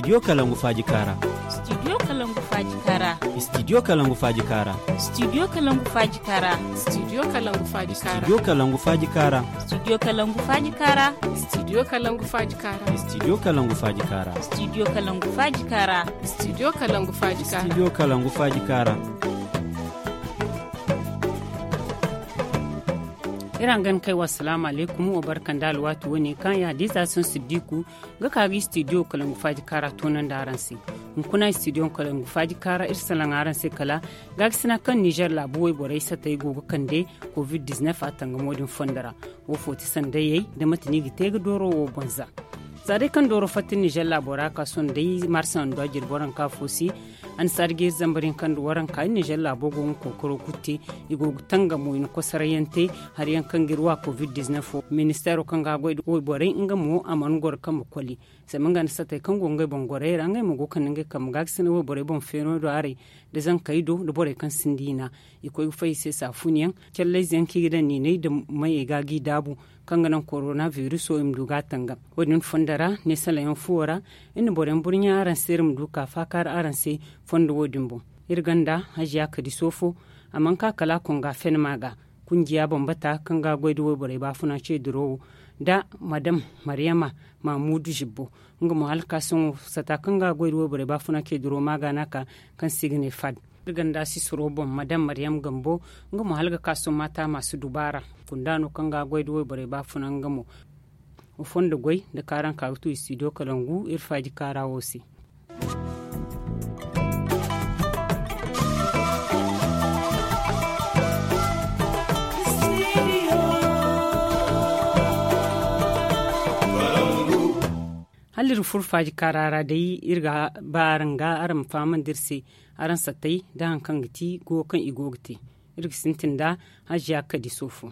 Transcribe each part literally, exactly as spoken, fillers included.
Studio Kalangu Faaji Kaara. Studio Kalangu Faaji Kaara. Studio Kalangu Faaji Kaara. Studio Kalangu Faaji Kaara. Studio Kalangu Faaji Kaara. Studio Kalangu Faaji Kaara. Studio Kalangu Faaji Kaara. Studio Kalangu Faaji Kaara. Studio Kalangu Faaji Kaara. Studio Kalangu Faaji Kaara. Studio Kalangu Faaji Kaara. Studio Kalangu Faaji Kaara. Iri hangan kay wa, asalaamu alaykum, wa barka nda alwaati wane kaŋ ya da ize Asan Siddiku ga ka ga studio Kalangu Faaji Kaara toonandi araŋ se. Hunkuna studio Kalangu Faaji Kaara, iri salaŋ araŋ se kala gaakasina kaŋ Nizer laabu wayborey satey go ga kande covid diznef a tangamo din fondo ra. Wo fo ti sandayey nda mate no i ga te ga dooro wo boŋ za. Za day kaŋ dooro fatta Nizer laabo ra ka sohõ day marsa nda jirbi waranka fo se, annasaari ga iri zambar hinka nda waranka, Nizer laabo go ga kookaro kulu te. I go ga tangamo i na kosorayyaŋ te. Hari yaŋ kaŋ ga iri wa covid diznef wo, ministeero kaŋ ga a goy nda wayborey nga mo a mana goro kambe koli. Zama nga nda satey kaŋ go ga ngey boŋ gorey ra, ngey mo go ga kande ngey kambe gaakasinay wayborey boŋ feeno do haray, nda zankey do nda borey kaŋ sinda i na i koy ga fay i se saafunyaŋ, callayze yaŋ kaŋ i ga daŋ niinay nda mayey ga g'i daabu, kaŋ ga naŋ korona viruso i ma du ga a tangam. Wo- din fondo ra, ne salaŋ yaŋ fuwo ra, iri na boro yaŋ burɲa araŋ se, iri ma du ka faakaari araŋ se fondo wo- din boŋ. Iri gonda hajiya kadiso fo, a mana ka kala a konga fen ma ga, kunjiya bambata kaŋ ga a goy nda wayborey baafuna ce duro wo, nda madam mariyama mamudu zibbo, nga mo hala ka sohõ sata kaŋ ga a goy nda wayborey baafuna ce duro ma ga no a ka, kaŋ se i ga ne fad. Iri gonda sisiro boŋ madam mariyam gambo, nga mo hala ga ka sohõ maata ma si dubaara, kunda no kaŋ ga a goy nda wayborey baafuna nga mo. Wa fondo goy nda kaaraŋ ka ga tu studio kalangu iri faaji kaara wo se. Hala iri furo faaji kaara ra day, iri ga ba araŋ ga araŋ ma fahamandi iri se, araŋ sattey nda hari kaŋ ga ti goyo kaŋ i go ga te. Iri ga sintin nda hajiya kadi soofo.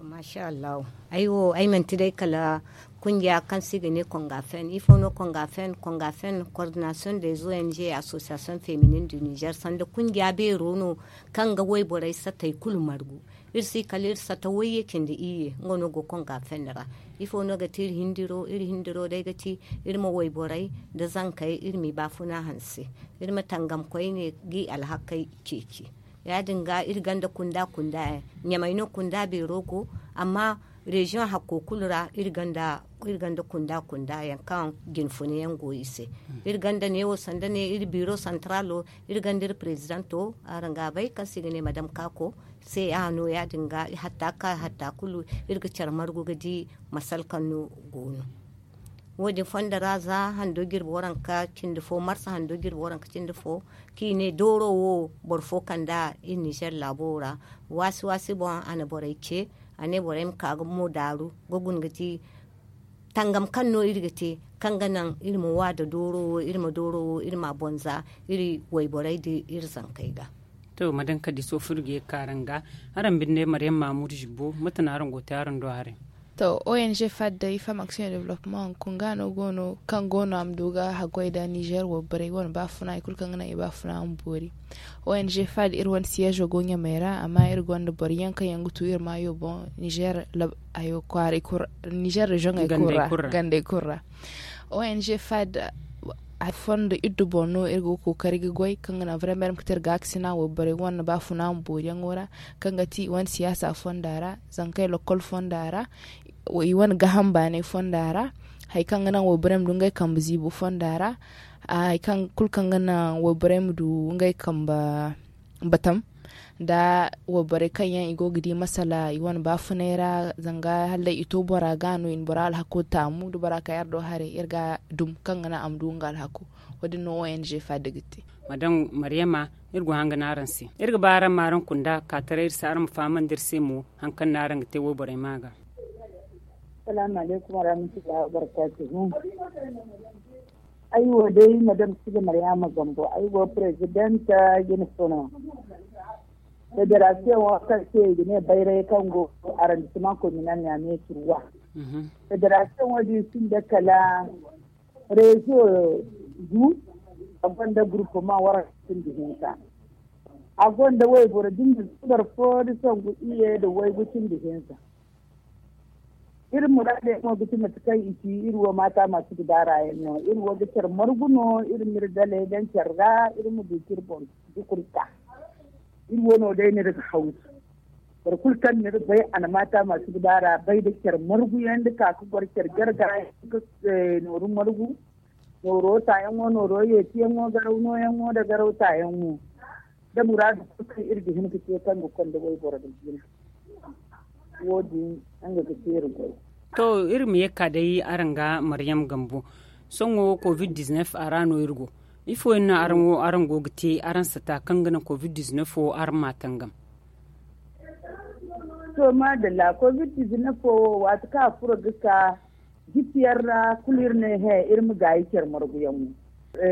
Masha allahu. Ay wo ay manti day kala kungiya kaŋ se i ga ne kongafen. Ifo no kongafen? Kongafen, coordination des ong, association féminine du niger, sanda kungiya beero no kaŋ ga wayborey satey kulu margu. Iri si kala iri sata wayye cindi iyye, nga no go kongafen ra. Ifo no ga ti iri hindiro? Iri hindiro day ga ti iri ma wayborey nda zankey iri m'i baafuna hanse. Iri ma tangam koyne g'i alhakey ceeci. Ya- din ga iri ganda kunda kunda yaŋ, ɲamey no kunda beero go. Amma reziyoŋ hakko kulu ra iri ganda kunda kunda yaŋ kaŋ jinfuna yaŋ go i se. Iri ganda neewo sanda ne iri biro santaralo, iri ganda iri prezidanto, araŋ ga a bay kaŋ se i ga ne madam kako. Se a no ya- din ga hatta ka hatta kulu iri ga care margu ga di masal kaŋ no go no. Wo- din fondo ra za hando jirbi waranka cindi fo, marsa hando jirbi waranka cindi fo, kaŋ i ne dooro wo boro fo kand'a iri nizer laabo ra. Waasi waasi boŋ a na borey ce, a ne borey ma ka ga mo daaru ga guna ga di tangam kaŋ no iri ga te, kaŋ ga naŋ iri ma wa nda dooro wo, iri ma dooro wo iri m'a boŋ za iri wayborey nda iri zankey ga. To, madam kadi soofur ga ye ga ka araŋ ga. Araŋ binde mariyam mamudu zibbo, mate no araŋ go ga te araŋ do haray? To, ong fad day femme action et développement hunkuna no go no kaŋ go no a ma du ga haggoy nda nizer wayborey wane baafuna, hari kulu kaŋ ga naŋ i baafuna ma boori. Ong fad iri wane siyeezo go ɲamey ra, amma iri gonda boro yaŋ kaŋ yaŋ ga tu iri maayo boŋ nizer, hayo kwaaray kulu ra, nizer reziyoŋey kulu ra, gandey kulu ra. Ong fad fondo iddu boŋ no iri go ga kookari ga goy kaŋ ga naŋ vraiment iri ma ga te iri gaakasina wayborey wane baafuna ma booriyaŋo ra, kaŋ ga ti i wane siyaasa fonda ra, zankey lokkol fonda ra, i wane gaaham baanay fonda ra, hari kaŋ ga naŋ wayborey ma du ngey kambe ziibo fonda ra, hari kaŋ kulu kaŋ ga naŋ wayborey ma du ngey kambe batam nda wayborey kaŋ yaŋ i go ga di masala i wane baafunay ra, zanga hallay i to bora ga no i na bora alhako taamu da bora kay iri do haray iri ga dum kaŋ ga naŋ a ma du nga alhako. Wo- din no ong fad ga te. Madam mariyama, iri go hanga no araŋ se. Iri ga ba araŋ ma araŋ kunda ka taray iri se araŋ ma fahamandi iri se mo hari kaŋ no araŋ ga te wayborey ma ga. Salaamu alaykum warahmatullahi wabarakatuhu. Ay wo day madam siga mariyama gambo, ay wo presidenta jine fono federasiyoŋ wo kaŋ se i ga ne bayray kaŋ go arrondissement communal ɲame turwa. Federasiyoŋ wo din sinda kala rezo gu, a gonda groupement waranka cindi hinka, a gonda wayboro dinga subar fo da sangu iyye da waygu cindi hinka. Iri muraadey mo ga ti mate kaŋ i ci iri wo maata masu ga daara yaŋ no. Iri wo ga care margu no, iri ma iri daley daŋ care ra, iri ma du ka iri boŋ dukuri ka. Iri wo no day no iri ga hawsu. Boro kulu kaŋ no iri bay a na maata masu ga daara bay da care margu yaŋ da ka ga goro care jarga yaŋ ga nooru margu, nooro taayaŋo, nooro yeetiyaŋo, garaw nooyaŋo nda garaw taayaŋo, da muraadu kulu kaŋ iri ga hin ga te kaŋ ga konda wayboro ga jina. Wo- din nga ga teeri goy. To, iri ma ye ga ka day araŋ ga maryam gambo. Sohõ covid-19 a ra no iri go. Ifo yaŋ no araŋ go ga te araŋ sata kaŋ ga naŋ covid-19 wo araŋ ma a tangam? To, maadalla, covid-19 wo, waati kaŋ a furo ga ka jisiyaŋ ra, kulu iri ne he, iri ma gaayi care marguyaŋ wo.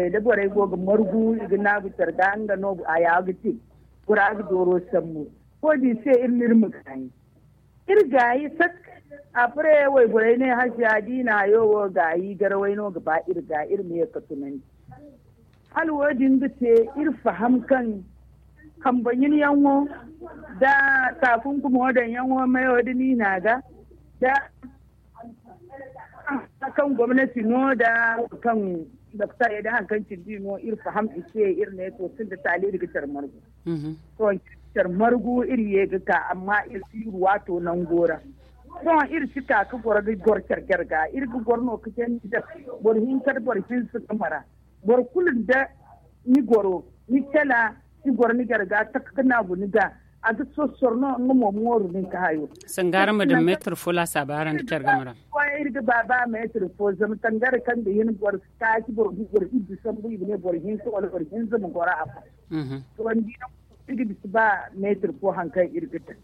Da borey go ga margu i ga naagu care ga nga no a ya ga te. Bora ga dooro sambu. Wo- din se iri ma iri ma gaayi. Iri gaayi sak. Apre wayborey ne hasiya da i na hayo wo gaayi garawey no ga ba iri ga iri ma ye ga tunandi. Hala wo- din ga te iri faham kaŋ kambe ɲinyaŋo nda taakunkumo daŋyaŋo mayo da niina ga da kaŋ gomnati no da kaŋ doktor ya da hari kaŋ cindi no iri faham i se iri ne to sinda taali iri ga care margu. To care margu iri ye ga ka amma iri si iri waato nango ra. Sohõ iri si ka ga goro ga goro care jarga iri ga goro no ga jandi da boro hinka da boro hinza ga mara. Boro kulu nda ni goro ni cala ni goro ni jarga taka ga naagu ni ga a ga sossor no nga mo mooru nin ka hayo. Sanga araŋ ma daŋ meetir fo laasaaba araŋ nda care game ra. Iri ga ba ba meetir fo zama tangare kaŋ ga hin boro taaci boro iddu sambu i ga ne boro hinka wala boro hinza ma goro a fo. To ni di no iri ga bisa ba meetir fo hari kaŋ iri ga daŋ.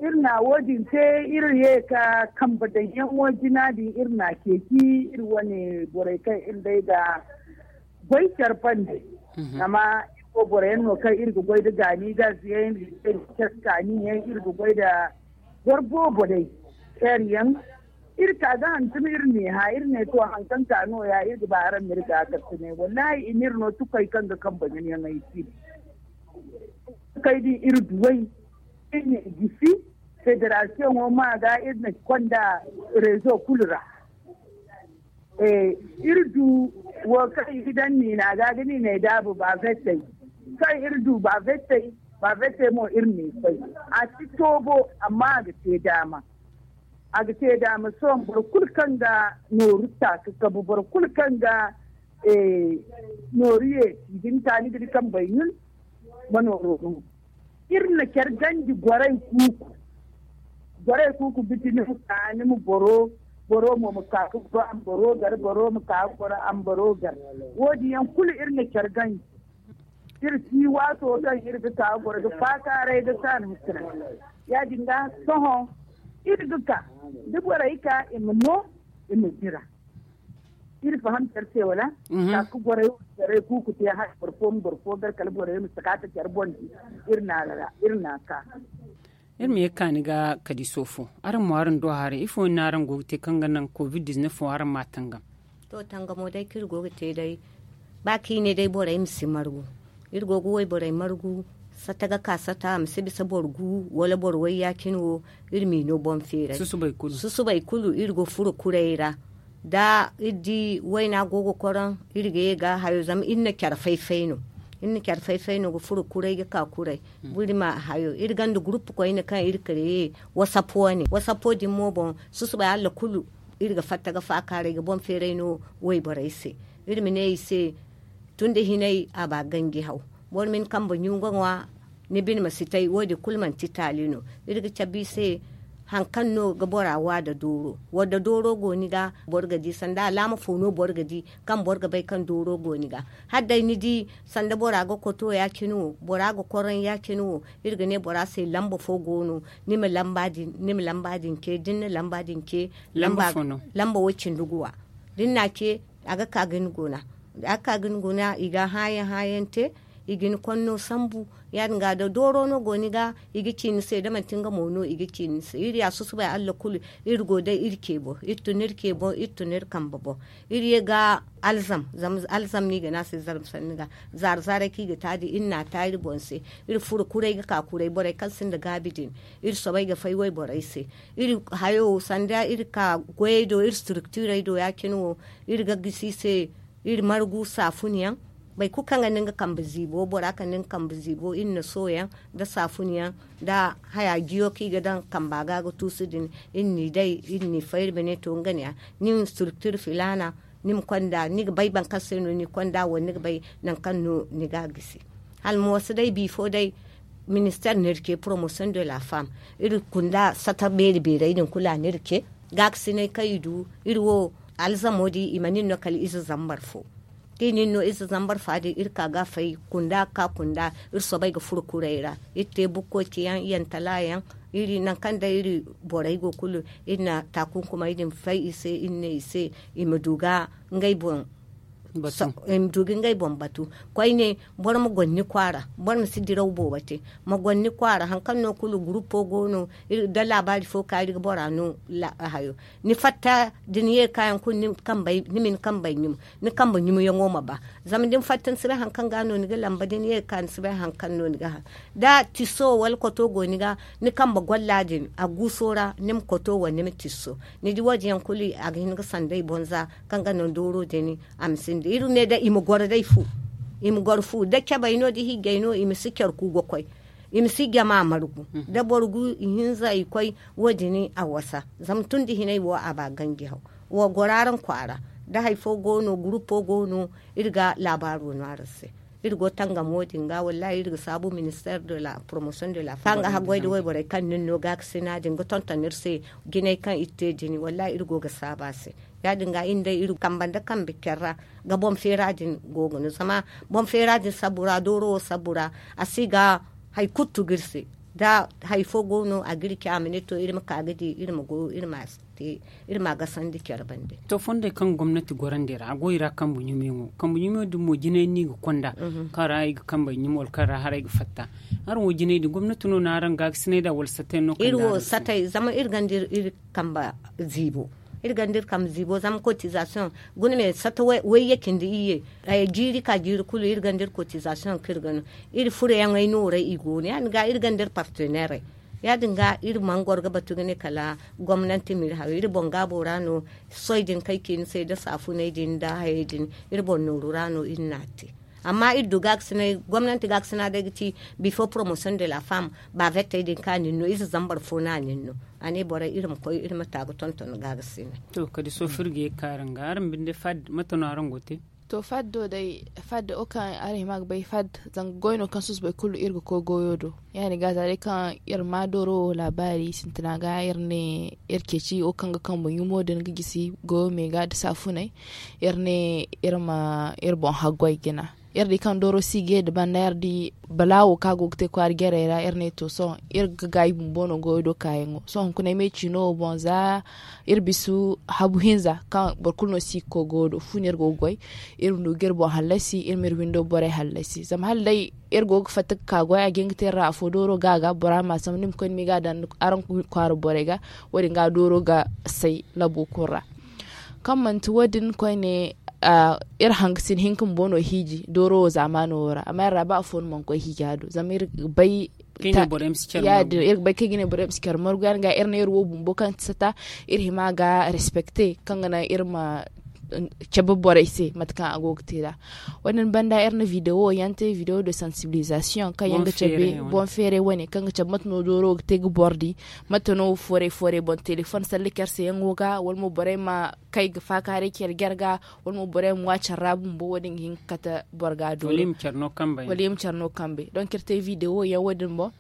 Iri na wo- din te iri ye ga kambe daŋyaŋo jina din iri na ceeci iri wane borey kaŋ iri day ga goy care bande. Zama iri wo boro yaŋ no kaŋ iri ga goy nda gaani gaziyaŋ iri ga goy nda care kaani yaŋ iri ga goy nda boro boobo day care yaŋ. Iri ka ga hantum iri ne ha iri ne to hari kaŋ ka nooya iri ga ba araŋ ma iri ga a kasinay wallahi i ma iri no tukay kaŋ ga kambe ɲanyaŋey si. Tukay din iri duway iri ne gisi federasiyoŋo ma ga iri na konda rezo kulu ra. Iri du wo kaŋ i ga daŋ niina ga ga niinay daabu ba vettey. Kaŋ iri du ba vettey ba vettey mo iri n'i fay. A si toobo amma a ga te daama. A ga te daama sohõ boro kulu kaŋ ga nooru ta ga kabu boro kulu kaŋ ga nooru ye i ga ni ta ni ga di kambey ɲun. Ma nooro no iri na care ganji gorey kuuku. Gorey kuuku biti ni ma ka ni ma boro boro mo ma ka ga goro ambaro gar boro ma ka ga goro ambaro gar. Wo- din yaŋ kulu iri na care ganji. Iri si waato kaŋ iri ga ka ga goro ga faakaaray ga ka ni ma tira. Ya- din ga sohõ iri ga ka da borey ka i ma no i ma dira. Iri faham care se wala? Ka ga borey wo care kuuku te hala boro fo ma boro fo gar kala borey ma si ka ta care boŋ di. Iri na a ra iri na a ka. Iri ma ye ga ka ni ga kadi soofo araŋ mo araŋ do haray ifo no araŋ go ga te kaŋ ga naŋ covid-19 wo araŋ ma a tangam? To tangamo day kaŋ iri go ga te day ba kaŋ i ne day borey ma si margu. Iri go ga wayborey margu sata ga ka sata a ma si bisa boro gu wala boro way ya- cine wo. Iri m'i no boŋ feeray susubay kulu iri go furo kuray ra. Da iri di wayna go ga koroŋ iri ga ye ga hayo zama iri na care fay-fay no. Iri na care fay-fay no ga furo kuray ga ka kuray. Buri ma hayo iri gonda gurupu koyne kaŋ iri kareye. Wasapo wane wasapo din mo boŋ susubay hala kulu iri ga fatta ga faakaaray ga boŋ feeray no. Wayborey se iri ma ne i se tun da hinay a ba ganji haw. Boro ma ni kambe ɲunga ŋwa ni bine ma si tay wo- din kulu manti taali no. Iri ga cabe i se hari kaŋ no ga bora wa nda dooro wadda dooro go ni ga boro ga di sanda alaama fo no boro ga di kaŋ boro ga bay kaŋ dooro go ni ga. Hala day ni di sanda bora ga koto ya- cine wo bora ga koroŋ ya- cine wo iri ga ne bora se lamba fo go no. Ni ma lamba din ce da ni na lamba din ce lamba way cindi guwa da ni na a ce a ga ka ga ni guna. Da a ga ka ga ni guna i ga a hããyaŋ hããyaŋ te. I ga ni konno sambu. Ya- din ga da dooro no go ni ga, i ga ci ni se da manti nga mo no i ga ci ni se iri ya susubay allah kulu. Iri go day iri ce boŋ iri tun iri ce boŋ iri tun iri kambe boŋ. Iri ye ga alzam zama alzam no i ga ne a se zarma sanni ga. Zaara zaaray kaŋ i ga ta din iri n'a ta iri boŋ se. Iri furo kuray ga ka kuray borey kaŋ sinda gaabi din. Iri soobay ga fay wayborey se. Iri hayo sanda iri ka goyey do iri structurey do ya- cine wo. Iri ga gisi i se iri margu saafun yaŋ. Boro kulu kaŋ ga ne nga kambe ziibo bora kaŋ ne nga kambe ziibo iri na sooyaŋ nda saafun yaŋ nda haya jiyo kaŋ i ga daŋ kamba ga ga tuusu din. Iri n'i day iri n'i fay iri ma ne to nga ne ya ni ma structure filaana. Ni ma konda ni ga bay boro kaŋ se no ni konda wala ni ga bay nangu kaŋ no ni ga a gisi. Hala mooso day bifo day minister no iri ce promotion de la femme. Iri kunda sata beeri beerey din kulu a no iri ce. Gaakasinay kaŋ i du iri wo alzamo din i ma nin no kala ize zambar fo. Da i nin no ize zambar fa din iri ka ga a fay kunda ga ka kunda. Iri soobay ga furo kuray ra iri te bukkoy ciyaŋ yantala yaŋ. Iri nangu kaŋ day iri borey go kulu iri na taakunkumey din fay i se iri ne i se i ma du ga ngey boŋ i ma du ga ngey boŋ batu. Koyne boro ma goro ni kwaara. Boro ma si diraw boobo te ma goro ni kwaara hari kaŋ no kulu gurupo go no. Da laabaari fo ka iri ga bora no hayo ni fatta da ni ye ga ka yaŋ kulu ni ma ni kambey ɲumo ni kambe ɲumoyaŋo ma ba. Zama da ni fatta ni si bay hari kaŋ ga no ni ga lamba da ni ye ga ka ni si bay hari kaŋ no ni ga haŋ. Da tiso wala koto go ni ga ni kambe golla din a guuso ra ni ma koto wala ni ma tiso. Ni di wo- din yaŋ kulu a ga hin ga sanda i boŋ za kaŋ ga naŋ dooro din a ma sinda iri ne day i ma goro day fu. I ma goro fu da cabey no da hiijey no i ma si care ku ga koy. I ma si jama margu da boro gu ihinza i koy. Wo- din a wasa zama tun da hinay wo a ba ganji haw. Wo goro araŋ kwaara da hari fo go no gurupo go no. Iri ga laabaaro no araŋ se. Iri go tangamo din ga wallahi iri ga saabu minister de la promotion de la femme kaŋ ga haggoy da wayborey kaŋ nin no gaakasina din ga tonton iri se. Jinay kaŋ iri te din wallahi iri go ga saabu a se. Ya- din ga iri day iri kambe nda kambe care ra ga boŋ feera din go ga no zama boŋ feera din sabu ra dooro wo sabu ra a si ga hari kulu tugu iri se. Da hari fo go no a ga iri ce a ma ne to iri ma ka ga di iri ma goyo iri ma a se. Te iri ma a gasandi care bande. To fondey kaŋ gomnati gorandi ra a go i ra kambe ɲumiyaŋo kambe ɲumiyaŋo din mo jinay no i ga konda kaŋ ra i ga kambey ɲumo wala kaŋ ra haray ga fatta. Araŋ wo jinay din gomnati no na araŋ gaagasinay nd'a wala satay no kaŋ iri wo satay zama iri ganda iri kambe ziibo. Iri ganda iri kambe ziibo zama kotizasiyoŋ guna me sata wayye cindi iyye. Jiiri ka jiiri kulu iri ganda iri kotizasiyoŋ kaŋ iri ga no iri furoyaŋey nooray i go no ya- din ga iri ganda iri parteneerey. Ya- din ga iri mana goro ga batu ga ne kala gomnanti ma iri hayo iri boŋ gaabo ra no. Soy din kaŋ ay ci ni se nda saafuney din nda hayey din iri boŋ nooru ra no iri n'a te. Amma iri du gaagasinay gomnanti gaagasina day ga ci bifo promotion de la femme. Baavettey din kaŋ a nin no ize zambar fo no a nin no. A ne borey iri ma koy iri ma ta ga tonton gaagasinay. To kala day soofir ga ye ga ka araŋ ga araŋ binde fad mate no araŋ go ga te? To faddo day faddo wo kaŋ araŋ hima ga bay fad. Zanga goy no kaŋ susubay kulu iri ga koy goyo do. Ya- din ga za day kaŋ iri ma dooro wo laabaari sintina ga iri ne iri ceeci wo kaŋ ga kambe ɲumo din ga gisi goyo me ga nda saafuney. Iri ne iri ma iri boŋ haggoy jina. Iri di kaŋ dooro si ga ye nda banda iri di balaawo kaŋ a go ga te kwaara jarey ra iri ne to sohõ iri ga gaayi bumbo no goyo do kaayaŋo sohõ hunkuna ay ma ay ciino wo boŋ za iri bisu habu hinza kaŋ boro kulu no si ga koy goyo do fu no iri go ga goy. Iri ma du ga iri boŋ hallasi iri ma iri windo borey hallasi zama hala day iri go ga fatta ga ka goy a ga hin ga te iri ra afo dooro ga a ga bora ma a sambu ni ma koy ni ma i ga a daŋ araŋ kwaara borey ga. Wo- din ga dooro ga say labo kulu ra. Kaŋ manti wo- din koyne iri hangasin hinka bumbo no hiiji dooro wo zaamaano wo ra amma iri ra ba afo no mana koy hiija do zama iri ga bay. Ya- din iri ga bay kaŋ i ga ne borey ma si care margu ya- din ga iri ne iri wo bumbo kaŋ ti sata iri hima ga respecte kaŋ ga naŋ iri ma cabe borey se mate kaŋ a go ga te nd'a. Wo- din banda iri na video yaŋ te video de sensibilisation kaŋ yaŋ ga cabe boŋ feeray wane kaŋ ga cabe mate no dooro ga te ga boro di mate no foorey foorey boŋ telefoŋ salli care se yaŋo ga wala mo borey ma kay ga faakaaray care jare ga wala mo borey ma ŋwa care ra bumbo wo- din ga hin ga kate boro ga dooro. Wala i ma care no kambe donc iri te video yaŋ wo- din boŋ.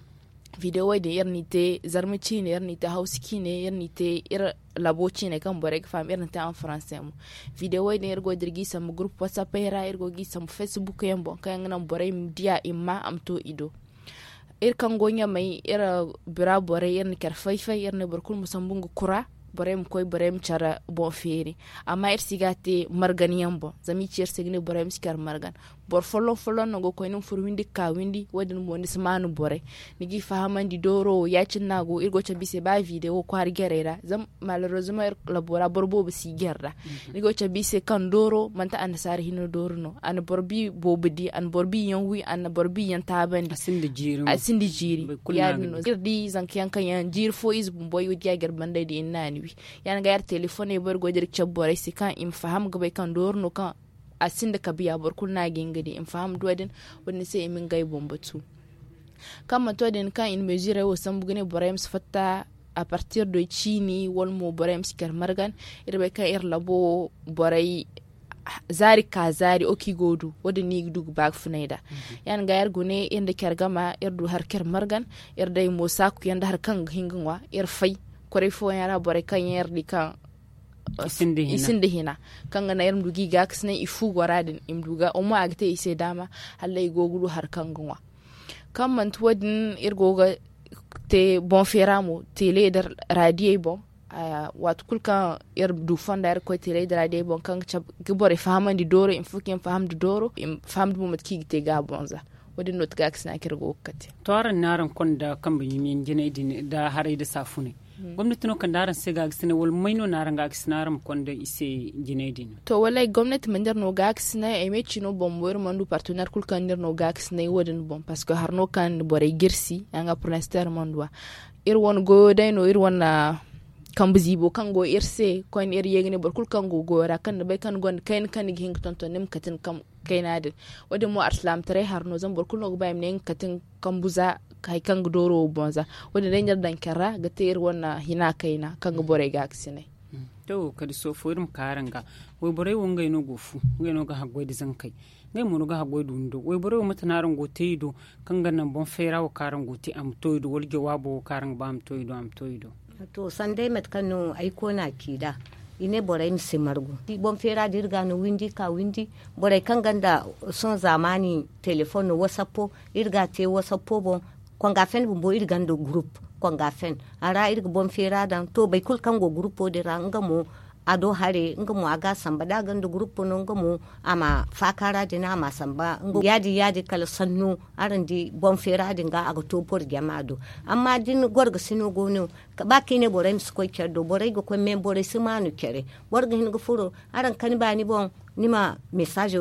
Video din iri n'i te zarma ciine iri n'i te hawsa ciine iri n'i te iri labo ciine kaŋ borey ga faham iri na te en français mo. Video din iri go ga dira g'i sambu groupe whatsappey ra iri go g'i sambu facebook yaŋ boŋ kaŋ yaŋ ga naŋ borey ma diya i ma ma a ma to i do. Iri kaŋ go ɲamey iri bira borey iri na care fay-fay iri ne boro kulu ma sambu nga kura. Borey ma koy borey ma care boŋ feeri. Amma iri si ga a te margan yaŋ boŋ zama i ci iri se ga ne borey ma si care margan. boro folloŋ folloŋ no go ga koy ni ma furo windi ga ka windi wo- din mo ni si maanu borey. Ni g'i fahamandi dooro wo ya- cine no a go iri go ga cabe i se ba video wo kwaara jarey ra zama malereezuma iri labo ra boro boobo si i jare ra. Ni go ga cabe i se kaŋ dooro manti annasaara hinne dooro no a na boro bi boobo di a na boro bi yaŋ wi a na boro bi yaŋ taabandi. A sinda jiiri. Ya- din no iri di zanka yaŋ kaŋ yaŋ jiiri fo ize bumbo ay wo di a jare banday da i na naani wi. Ya- din ga yara telefoney borey go ga dira ga cabe borey se kaŋ i ma faham ga bay kaŋ dooro no kaŋ a sinda kabiya boro kulu no a ga hin ga di i ma faham da wo- din. Wo- din se i ma ngey boŋ batu kaŋ manti wo- din kaŋ i na meezirey wo sambu ga ne borey ma si fatta a partir do ciini wala mo borey ma si care margan. Iri bay kaŋ iri labo wo borey zaari ga ka zaari wo kaŋ i go ga du wo- din no i ga du ga ba ga funay nd'a. Ya- din ga iri gune iri nda care gama iri du hari care margan. Iri day mo saaku yaŋ nda hari kaŋ ga hin ga ŋwa iri fay. Kwaray fooyaŋ ra borey kaŋ yaŋ iri di kaŋ i sinda hina kaŋ ga naŋ iri ma du ga i gaakasinay i fu gora din i ma du ga omo a ga te i se daama hala i go ga du hari kaŋ ga ŋwa. Kaŋ manti wo- din iri go ga te boŋ feera mo teele nda raadiyey boŋ. Waati kulu kaŋ iri du fonda iri ga koy teele nda raadiyey boŋ kaŋ ga cabe ga borey fahamandi dooro i ma fo kaŋ i ma faham nda dooro i ma faham nda mo mate kaŋ i ga te ga a boŋ za. Wo- din no ti gaakasina kaŋ iri go ga kate. To araŋ ne araŋ konda kambe ɲumiyaŋ jinay din nda haray nda saafunay. Gomnati no kande araŋ se gaakasinay wala may no na araŋ gaakasina araŋ ma konda i se jinay din? To wallaahi gomnati mana iri no gaakasinay ay me cino boŋ mo iri mana du partenaire kulu kaŋ na iri no gaakasinay wo- din boŋ parceque hari no kaŋ borey jirsi yaŋ ga prinster mana du a. Iri wane goyo day no iri wane kambe ziibo kaŋ go iri se koyne iri ye ga ne boro kulu kaŋ go goyo ra kaŋ ni bay kaŋ ni gonda kayna kaŋ ni ga hin ga tonton ni ma kate ni kambe kayna din. Wo- din mo alsilaamataray hari no zama boro kulu no ga ba i ma ne nga kate nga kambu za hari kaŋ ga dooro wo boŋ za. Wo- din day no iri daŋ care ra ga te iri wane hina kayna kaŋ ga borey gaakasinay. To kala soofo iri ma ka araŋ ga wayborey wo ngey no go ga fu ngey no ga haggoy nda zankey. Ngey mo no ga haggoy nda windo wayborey wo mate no araŋ go ga te i do kaŋ ga naŋ boŋ feera wo kaŋ araŋ go ga te a ma to i do wala jawaabo wo kaŋ araŋ ga ba a ma to i do a ma to i do? To sanday mate kaŋ no ay koona ci nd'a i ne borey ma si margu boŋ feera da iri ga no windi ka windi. Borey kaŋ gonda sohõ zaamaani telefoŋ no wasappo iri ga a te wasappo boŋ. Konga fen bumbo iri gonda gurup konga fen a ra iri ga boŋ feera daŋ to boro kulu kaŋ go gurupo din ra nga mo a do hare nga mo a ga a samba da a gonda gurupo no nga mo a ma faakaara din a ma a samba. Ya- din ya- din kala sanno araŋ di boŋ feera din ga a ga to boro jama do. Amma da ni gorgasino go no ba kaŋ i ne borey ma si koy care do borey ga koy me borey si maanu care. Boro ga hin ga furo araŋ kani baani boŋ ni ma mesaaz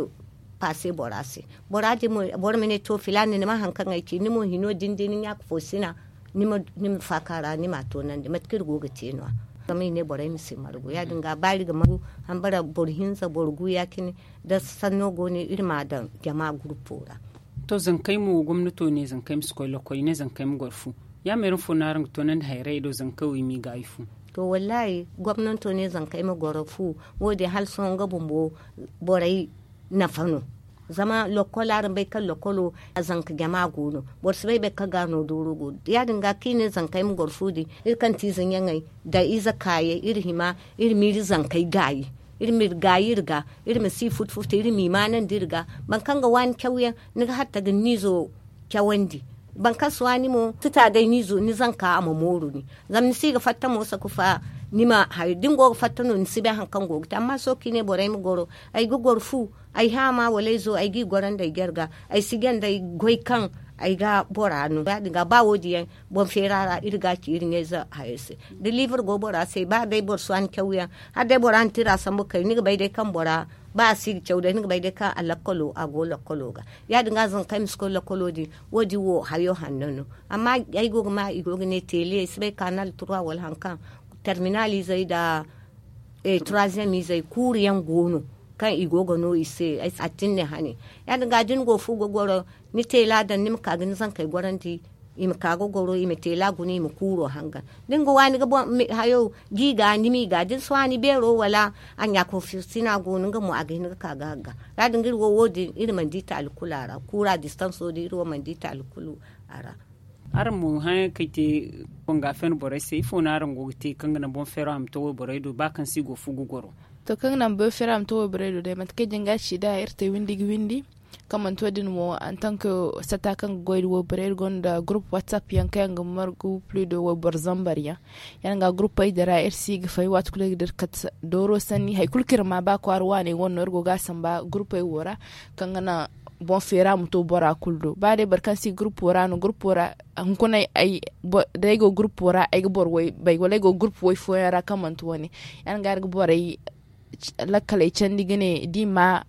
paase bora se. Bora din mo boro ma ne to filaana ni ma hari kaŋ ay ci ni mo hino din da ni ɲaaka fo sina ni ma faaka ra ni ma a toonandi mate kaŋ iri go ga te no- ya zama i ne borey ma si margu ya- din ga ba iri ga margu hambara boro hinza boro gu ya- cine. Da sanno go no iri ma a daŋ jama gurupo ra. To zankey mo gomnato ne zankey ma si koy lokoy i ne zankey ma goro fu. Ya meera fo no araŋ ga toonandi hayray do zankey wo i m'i gaayi fu? To wallaahi gomnato ne zankey ma goro fu. Wo- din hala sohõ nga bumbo borey nafa no. Zama lokol araŋ bay kaŋ lokolo a zanka jama go no. Boro si bay boro kaŋ ga no dooro go no ya- din ga kaŋ i ne zankey ma goro fu din iri kaŋ ti ize ɲaŋey nda ize kaayey iri hima iri ma iri zankey gaayi. Iri ma iri gaayi iri ga iri ma si futu futu iri m'i maanandi iri ga. Boro kaŋ ga waani cawyaŋ ni ga hatta ga ni izo cawandi. Boro kaŋ si waani mo si ta day ni izo ni zanka a ma mooru ni. Zama ni si ga fatta mo sakufa ni ma hayo da ni go ga fatta no ni si bay hari kaŋ go ga te amma sohõ kaŋ i ne borey ma goro ay ga goro fu. Ay haama wala ay zo ay g'i gorandi ay jarga ay si janda ay goy kaŋ ay ga bora no ya- din ga ba wo- din yaŋ. Boŋ feera ra iri ga a ci iri ɲayze hayo se da liibur go bora se ba day boro si waani cawyaŋ hala day bora na tira sambu kay ni ga bay day kaŋ bora ba a si ga caw day ni ga bay day kaŋ a lakkalo a go lakkalo ga. Ya- din ga zanka ay ma si koy lakkalo din wo- din wo hayo hanno no. Amma ay go ga ma i go ga ne teele ay si bay kaanal turwa wala hari kaŋ terminal izey nda turaaziyem izey kuuru yaŋ go no kaŋ i go ga no i se. A tinne hane ya- din ga da ni go fu ga goro ni teela daŋ ni ma ka ga ni zankey gorandi. I ma ka ga goro i ma teela guna i ma kuuro hangan da ni ga waani ga hayo. Gi ga ni m'i ga da ni si waani beero wala a ɲaako firsina go no nga mo a ga hin ga ka ga hagga. Ya- din ga iri wo wo- din iri mana di taali kulu a ra kuura distanso din iri wo mana di taali kulu a ra. Araŋ mo hããyaŋ kaŋ ay te konga fen borey se ifo no araŋ go ga te kaŋ ga naŋ boŋ feero a ma to wayborey do ba kaŋ se i go ga fu ga goro? To kaŋ ga naŋ boŋ feero a ma to wayborey do day mate kaŋ ay janga ci nd'a iri te windi ga windi. Kaŋ manti wo- din mo antank sata kaŋ ga goy nda wayborey iri gonda gurup whatsapp yaŋ kaŋ yaŋ ga margu plis de wayboro zambar yaŋ. Ya- din ga gurupey din ra iri si ga fay waati kulu iri ga dira kate dooro sanni hari kulu kaŋ iri ma ba kwaara waaney wane no iri go ga a samba gurupey wo ra. Kaŋ ga naŋ boŋ feera ma to bora kulu do ba day boro kaŋ si gurpo ra no gurpo ra. Hunkuna ay day go gurpo ra ay ga boro way bay wala ay go gurpo way fooyaŋ ra kaŋ manti wane. Yaŋ ga ay ga borey lakkaley candi ga ne da i ma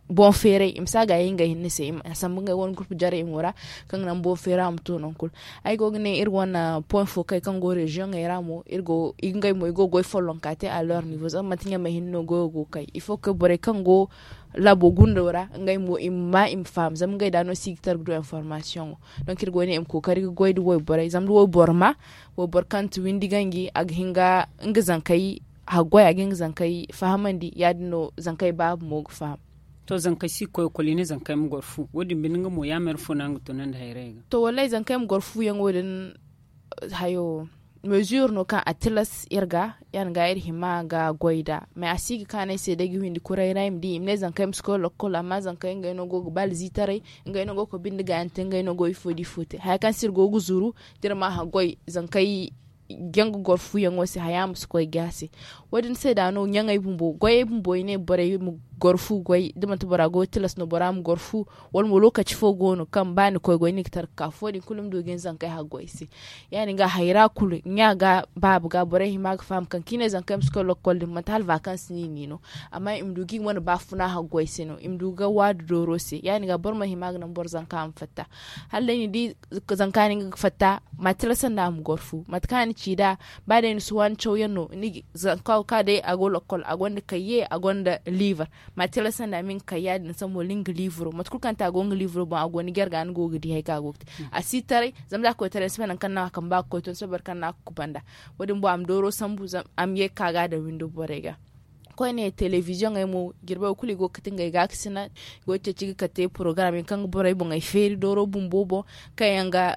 boŋ feeray i ma si a gaayi ngey hinne se a sambu ngey wane gurpu jarey mo ra. Kaŋ ga naŋ boŋ feera ma to naŋ kulu. Ay go ga ne iri wane point fo kay kaŋ go reziyoŋey ra mo iri go ngey mo i go ga goy follonka te a lor nivo zama manti ɲamey hinne no goyo go ga kay il faut que borey kaŋ go laabo gundo ra ngey mo i ma ma i ma faham zama ngey da no se i ga tara ga du informasiyoŋo. Donk iri go ga ne i ma kookari ga goy nda wayborey zama da wayboro ma wayboro kaŋ ti windi ganji a ga hin ga nga zankey haggoy a ga hin ga zankey fahamandi ya- din no zankey baabu mo ga faham. To zankey si ga koy ekol i ne zankey ma goro fu wo- din binde nga mo ya mere fo no araŋ ga tunandi hayrayey ga? To wallaahi zankey ma goro fuyaŋo din hayo mezure no kaŋ a tilas iri ga ya- din ga iri hima ga goy nd'a mais a si ga kaanu ay se day ga windi kuray ra i ma di i ma ne zankey ma si koy lokkol amma zankey ngey no go ga ba alzitaray. Ngey no go ga koy binde gaayaŋ te ngey no go ifo da ifo te haya kaŋ se iri go ga zuru da iri ma haggoy zankey jaŋ ga goro fuyaŋo se haya ma si koy ga se. Wo- din se da no ɲaŋey bumbo goyey bumbo i ne borey ma goro fu goy da manti bora goy tilas no bora ma goro fu wala mo lokaci fo go no kaŋ ba ni koy goy ni ga tara ga ka fo- din kulu ma du ga ni zankey haggoy se. Ya- din ga hayra kulu ɲa ga baabu ga borey hima ga faham kaŋ kaŋ i ne zankey ma si koy lokkol din manti hala vakansi no i ni no. Amma i ma du ga i wane baafuna haggoy se no i ma du ga waadu dooro se ya- din ga boro ma hima ga naŋ boro zanka ma fatta. Hala day ni di zanka no nga ga fatta ma a tilasandi a ma goro fu mate kaŋ a na ci nd'a. Ba day ni si waani cawyaŋ no ni ga zanka wo kaŋ day a go lokkol a gonda kayye a gonda liibar. Ma a tilasandi a ma nga kay ya- din sambu wala nga liibaro mate kulu kaŋ te a go nga liibaro boŋ a go ni jare ga ni go ga di hari kaŋ a go ga te. A si taray zama da a koy taray ni si bay nangu kaŋ no a kamba ga koy to ni si bay boro kaŋ no a ga kubanda. Wo- din boŋ a ma dooro sambu a ma ye ga ka ga a daŋ windo borey ga. Koyne telebiziyoŋey mo jirbey wo kulu i go ga kate ngey gaakasina i go ga ceeci ga kate porogaram yaŋ kaŋ ga borey boŋey feeri dooro bumbo boŋ. Kaŋ yaŋ ga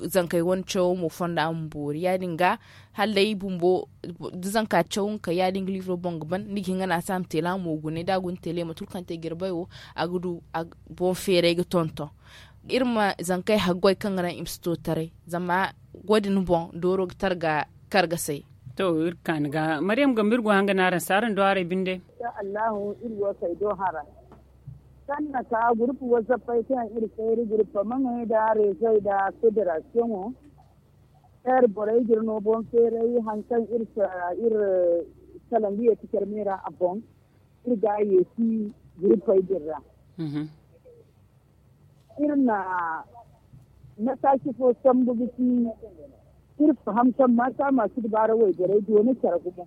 zankey wane cawo mo fonda ma boori ya- din ga hala day bumbo da zanka caw nga kay ya- din ga liibaro boŋ ga ban ni ga hin ga naasa ma teela mo gune da a guna teele mate kulu kaŋ te jirbey wo a ga du boŋ feeray ga tonton. Iri ma zankey haggoy kaŋ ga naŋ i ma si to taray zama wo- din boŋ dooro ga tara ga kargasay. To iri ga kaani ga maryam gambo iri go hanga no araŋ se araŋ do haray binde. Insha allahu iri wo kay do hara kaŋ na ka gurupu wazappey kaŋ iri feeri gurupu maŋey nda rezoy nda federasiyoŋo. Iri borey ga iri no boŋ feeray hari kaŋ iri salangu ye ti care me ra a boŋ. Iri ga a yeesi guruppey din ra. Iri na mataaci fo sambu ga ci iri faham kaŋ maasa ma si dubaara wayborey doona care gumo.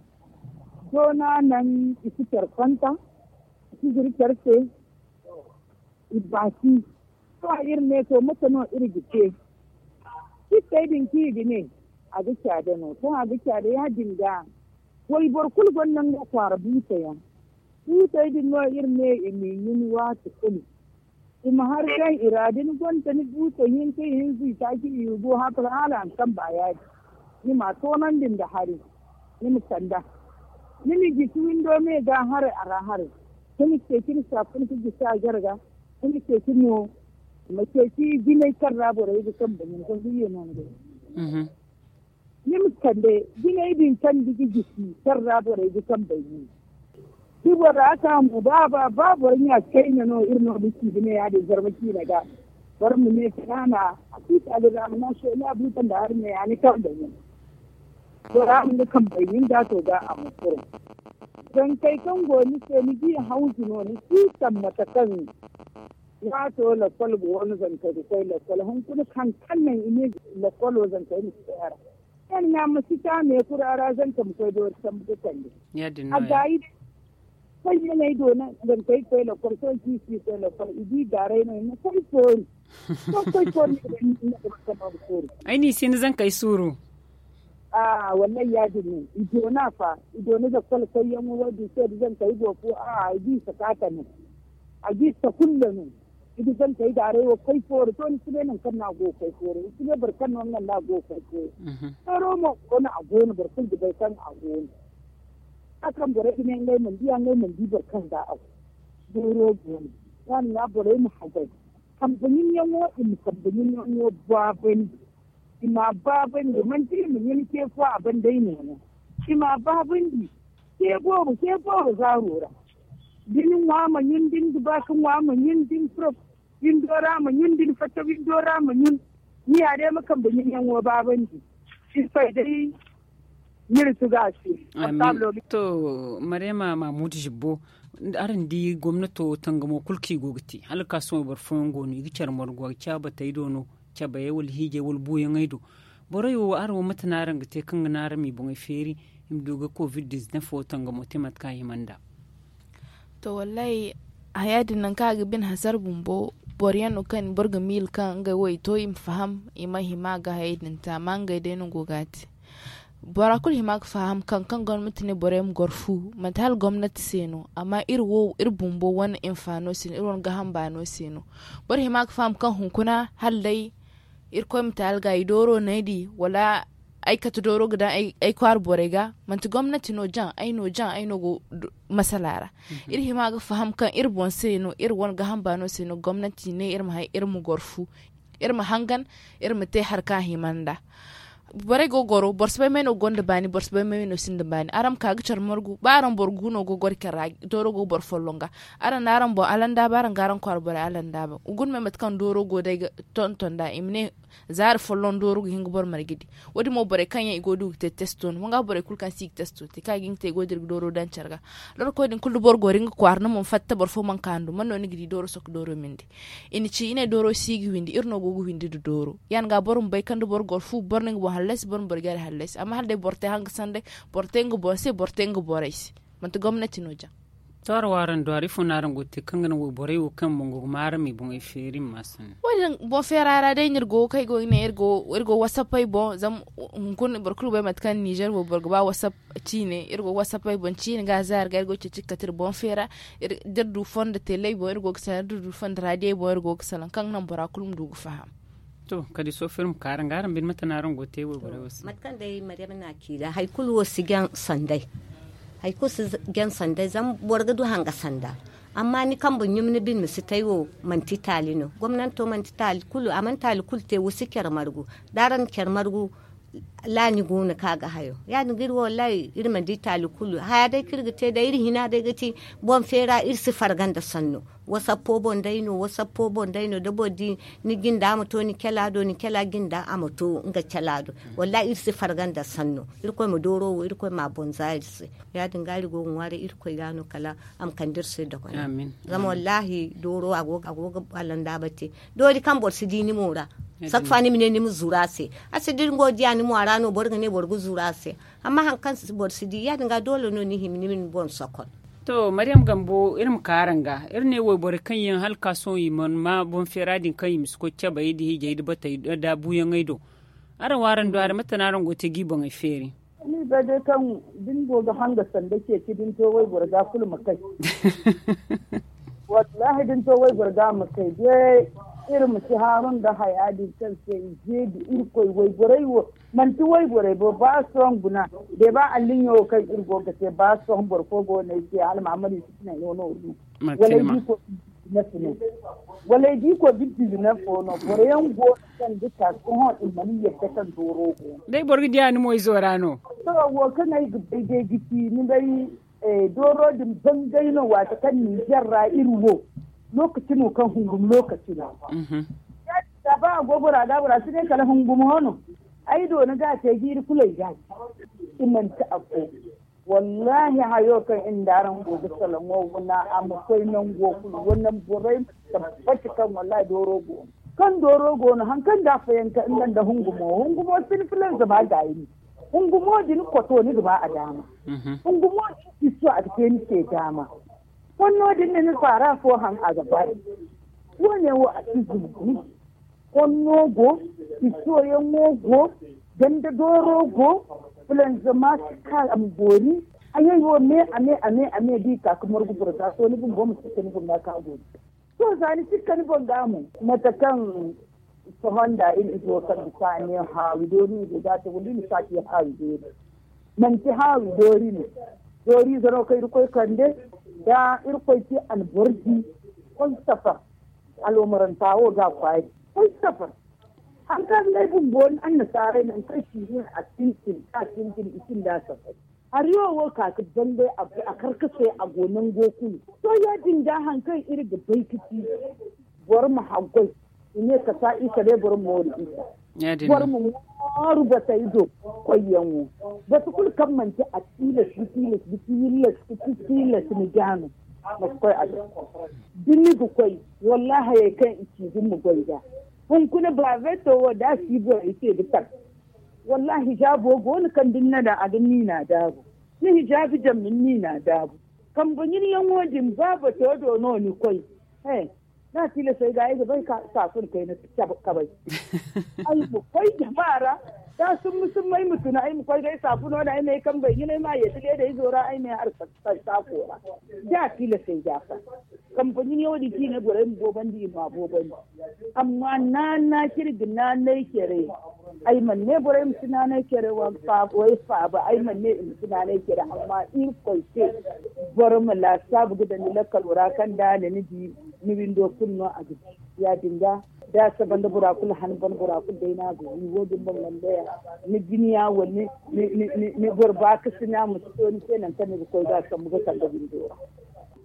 Doona naŋ i si care konta i si zuru care se. I baasi. Sohõ iri ne to mate no iri ga te? Cittey din kaŋ i ga ne a ga caada no sohõ a ga caada ya- din ga. Wayboro kulu gonda nga kwaara buusa yaŋ. Buusey din no iri ne i m'i ɲun waati kulu. I ma hari kaŋ i ra da ni gonda ni buusa hinka ihinza itaaci i go haka hala a ma kamba ya- din. Ni m'a toonandi nda hari. Ni ma kand'a. Ni ma jisi windo me ga haray a ra haray. Ni ma ceeci ni saafun ka jisi a jarga. Ni ma ceeci mo ma ceeci jinay kaŋ ra borey ga kamba ɲun kaŋ ga ye no ni ga. Ni ma kande jinay din kaŋ ni ga jisi kaŋ ra borey ga kamba ɲun. Di bora ka mo ba ba ba boro ɲa kayna no iri no ga ci ga ne ya- din zarma ciina ga. Boro ma ne kanaana a si taali ra ma naŋ sohõ ni a buuta nda hari ne ya ni kamba ɲun. Bora ma ni kambey ɲun da to ga a ma furo. Zankey kaŋ go ni se ni di hawzu no ni si taŋ mate kaŋ waato lakkol go wane zankey ga koy lakkol hunkuna kaŋ kaŋ naŋ i ne lakkolo zankey ma si koy a ra. Yaŋ ɲa ma si ta me kura ra zanka ma koy doori sambu ga kande. A gaayi. Fayyaney do na zankey koy lakkol sohõ kaŋ i si koy lakkol i di gaaray no i ma koy foori. Sohõ koy foori. Ay no i si ni zankey suuru. Aa wallahi ya- din no i doona fa. I doona zakkol koyyaŋo wo- din se da zankey go fo aa i di sakaata no. A ga i sakulla no. I ga zankey daaray wo koy foori to ni si ne nangu kaŋ no a go ga koy foori ni si ne boro kaŋ no nga no a go ga koy foori. Feero mo go no a go no boro kulu ga bay kaŋ a go no. Za kaŋ borey ga ne ngey mana di a ngey mana di boro kaŋ ga a go. Feero go no. Ya- din ga borey ma hagay. Kambe ɲunyaŋo i ma kambe ɲunyaŋo baabandi. I m'a baabandi manti i ma ɲun ce fo a banda ay ne no. I m'a baabandi ce boobo ce boobo zaaro ra. Da ni ŋwa ma ɲun da ni ga ba ka ŋwa ma ɲun da ni furo. Windo ra ma ɲun da ni fatta windo ra ma ɲun. Ni ya day ma kambe ɲun yaŋo baabandi. Irkoy day ni iri tuga se. To, mariyama mahmud zibbo, araŋ di gomnato tangamo kulu kaŋ i go ga te hala ga ka sohõ boro fooyaŋ go no i ga care margu a ga caaba tay do no, cabayey wala hiijay wala buuyaŋey do. Borey wo araŋ wo mate no araŋ ga te kaŋ ga naŋ araŋ m'i boŋey feeri, i ma du ga covid diznef wo tangamo te mate kaŋ a hima nd'a? To wallaahi, haya din nangu kaŋ a ga bine hasara bumbo, boro yaŋ no kaŋ boro ga miila kaŋ ngey wo i to i ma faham, i ma hima ga hayey din te amma ngey day no go ga a te. Bora kulu hima ga faham kaŋ kaŋ gomnati ne borey ma goro fu, manti hala gomnati se no amma iri wo iri bumbo wane hinfaano se no iri wane gaaham baano se no. Boro hima ga faham kaŋ hunkuna hala day irkoy ma taali ga i dooro no ay di, wala ay kate dooro ga daŋ ay kwaara borey ga. Manti gomnati no jaŋ ay no jaŋ ay no go masala ra. Iri hima ga faham kaŋ iri boŋ se no iri wane gaaham baano se no gomnati ne iri ma hay iri ma goro fu, iri ma hangan, iri ma te hari kaŋ a hima nd'a. Borey go ga goro boro si bay may no ga gonda baani boro si bay may no sinda baani araŋ ma ka ga care margu ba araŋ boro gu no go ga goro care ra, dooro go ga boro folloŋ ga. Araŋ na araŋ boŋ alandaaba araŋ ga araŋ kwaara borey alandaaba guna me mate kaŋ dooro go day ga tonton nd'a i ma ne, zaari folloŋ dooro ga hin ga boro marje di. Wo- din mo borey kaŋ yaŋ i go ga du ga te testo no wanga borey kulu kaŋ se i ga testo te kaŋ a ga hin ga te i go ga dira ga dooro daŋ care ga. Lorko din kulu da boro goro nga kwaara ni ma ni fatta boro fo mana ka ni du man no ni ga di dooro sohõ ga dooro mindi? I na ci i ne dooro si ga windi iri no go ga windi nda dooro ya- din ga boro ma bay kaŋ da boro goro fu boro na nga boŋ hallasi boro ma boro jare hallasi amma hala day boro te hanga sanday, boro te nga boŋ se boro te nga borey se. Manti gomnati no jaŋ. To araŋ wo araŋ du hari ifo no araŋ go ga te kaŋ ga naŋ wayborey wo kaŋ boŋ go ga ma araŋ m'i boŋey feeri ma ma sanni? Wo- din boŋ feera ra day no iri go ga kay go ga ne iri go wasappey boŋ zama hunkuna boro kulu ga bay mate kaŋ nizer wayboro ga ba wasapp ciine iri go ga wasappey boŋ ciine ga zaari ga iri go ga ceeci ga kate iri boŋ feera. Da iri du fondo teley boŋ iri go ga salaŋ da iri du fondo raadiyey boŋ iri go ga salaŋ kaŋ ga naŋ bora kulu ma du ga faham. To kala day sohõ fir ma ka araŋ ga araŋ bine mate no araŋ go ga te wayborey wo se? Mate kaŋ day maryam na a ci ra hari kulu wo si jaŋ sanday. Hari kulu si jaŋ sanday zama boro ga du hanga sanda. Amma ni kambe ɲum ni bine ma si tay wo manti taali no gomnanto manti taali kulu a mana taali kulu te wo si care margu. Da araŋ na care margu laani go no kaŋ a ga hayo ya- din ga iri wo wallaahi iri mana di taali kulu haya day kaŋ iri ga te day iri hina day ga ti. Boŋ feera iri si farga nda sanno. Wasappo boŋ day no wasappo boŋ day no da boro di ni jinda a ma to ni cala do ni cala jinda a ma to nga cala do. Wallaahi iri si farga nda sanno. Irkoy ma dooro wo irkoy ma a boŋ za iri se. Ya- din ga iri go ga ŋwaaray irkoy ga no kala a ma kande iri se dogonay. Zama wallaahi dooro a go ga alandaaba te. Doori kaŋ boro si di ni mo ra. Saffa ni ma ne ni ma zuru a se. A si da ni go ga diya ni mo a ra no boro ga ne boro ga zuru a se. Amma hari kaŋ boro si di ya- din ga doole no ni hima ni ma ni boŋ sokon. To maryam gambo iri ma ka araŋ ga iri ne wayborey kaŋ yaŋ hala ga ka sohõ i mana ma boŋ feera din kaŋ i ma si koy cabey nda hiijay nda batey nda buuyaŋey do. Araŋ wo araŋ du a ra mate no araŋ go ga te ga i boŋey feeri? Ni bay day kaŋ da ni go ga hanga sanda ceeci da ni to wayboro ga kulu ma kay. Wallaahi da ni to wayboro ga ma kay day. Iri ma si haaru nda haya din kaŋ se i zeebi irkoy wayborey wo. Manti wayborey bo ba sohõ guna. De ba alliɲo wo kaŋ iri go ga te ba sohõ boro fo go no ay se hala mahamadu i si tinaŋ no nooru no. Wala ay di ko bizinef no. Wala ay di ko bizinef fo no boro yaŋ go no kaŋ ga ka sohõ i mana yadda kaŋ dooro go no. Day boro ga di a ni mo izo ra no. To wo kaŋ ay ga bay day ga ci ni bay. Dooro din bangay no waati kaŋ ninzeer ra iri wo. Lokaci no kaŋ hungum lokaci no. Ya- din ga ba a go bora ga bora si ne kala hungum ho no. Ay do ni ga a te jiiri kulu ay ga a ci. I manti afo. Wallaahi hayo kaŋ iri nda araŋ go ga salaŋo wana a ma koy nango kulu wana borey ma tabbati kaŋ wallaahi dooro go no. Kaŋ dooro go no hari kaŋ da a fayanka nga nda hungumo hungumo sinfilanza ma gaayi no. Hungumo din koto ni ga ba a daama. Hungumo din kisso a ga te ni se daama. Konno din da ni faara fo haŋ a ga bari. Wo- ne wo a si zumbu. Konno go, kisso yaŋo go, ganda dooro go. Filanza ma si ka a ma boori. Hayey wo me a me a me a me da i ka ga margu boro ga to ni bumbo ma si ka ni bumbo ka boori. To za ni si ka ni boŋ ga mo mate kaŋ sohõ nda iri izo kaŋ bisa a ne haawi doori no i go ga a te wala iri ma si a ci haawi doori. Manti haawi doori no. Dooriize no kaŋ irkoy kande da irkoy ci a na boro di. Koy safar. Aloomaranta wo ga a kwaari. Koy safar. Hari kaŋ ngey bumbo annasaarey nangu kaŋ si hin a sintin ka sintin i sinda safar. Hari wo wo ka ga bangay a karkasay a go nango kulu. To ya- din ga hari kaŋ iri ga bay ga ci. Boro ma haggoy, i ne kasa isa day boro ma mooru isa. Boro ma mooru batey do koyyaŋo. Batu kulu kaŋ manti a tilas ga tilas ga tilas ga tilas ni ga no, ma si koy a do. Da ni ga koy, wallaahi hayey kaŋ i ci ga ni ma goy ga. Hunkuna baabeeto wo da a si borey se ga tar. Wallaahi hijaabo go no kaŋ da ni na daŋ a ga niina daabu. Ni hijaabi jaŋ ma ni niina daabu. Kambe ɲinyaŋo din ba bato do no ni koy. He, da a tilasay ga ay ga bay ka saafun kayna kabay. Ay ma koy jama ra, da summa summa ay ma tuna ay ma koy ga ay saafuno da ay ma ay kambey ɲinay ma a yeeti leedayzo ra ay ma ay har saako ra. Da a tilasay ga fa kambe ɲinyaŋo din kaŋ i ne borey ma boobandi i ma a boobandi. Amma naana kaŋ iri ga naanay care, ay mana ne borey ma si naanay care, way faaba ay mana ne i ma si naanay care amma irkoy se. Boro ma laasaabu ga daŋ ni lakkalo ra kaŋ da a na ni di, ni windo kulu no a ga di. Ya- din ga, da a saba nda bora kulu han ban bora kulu day no a ga wi wo- din boŋ wande ya, ni jiniya wala ni boro baakasina ma si to ni se nangu kaŋ ni ga koy ga a sambu ga sanda windo ra.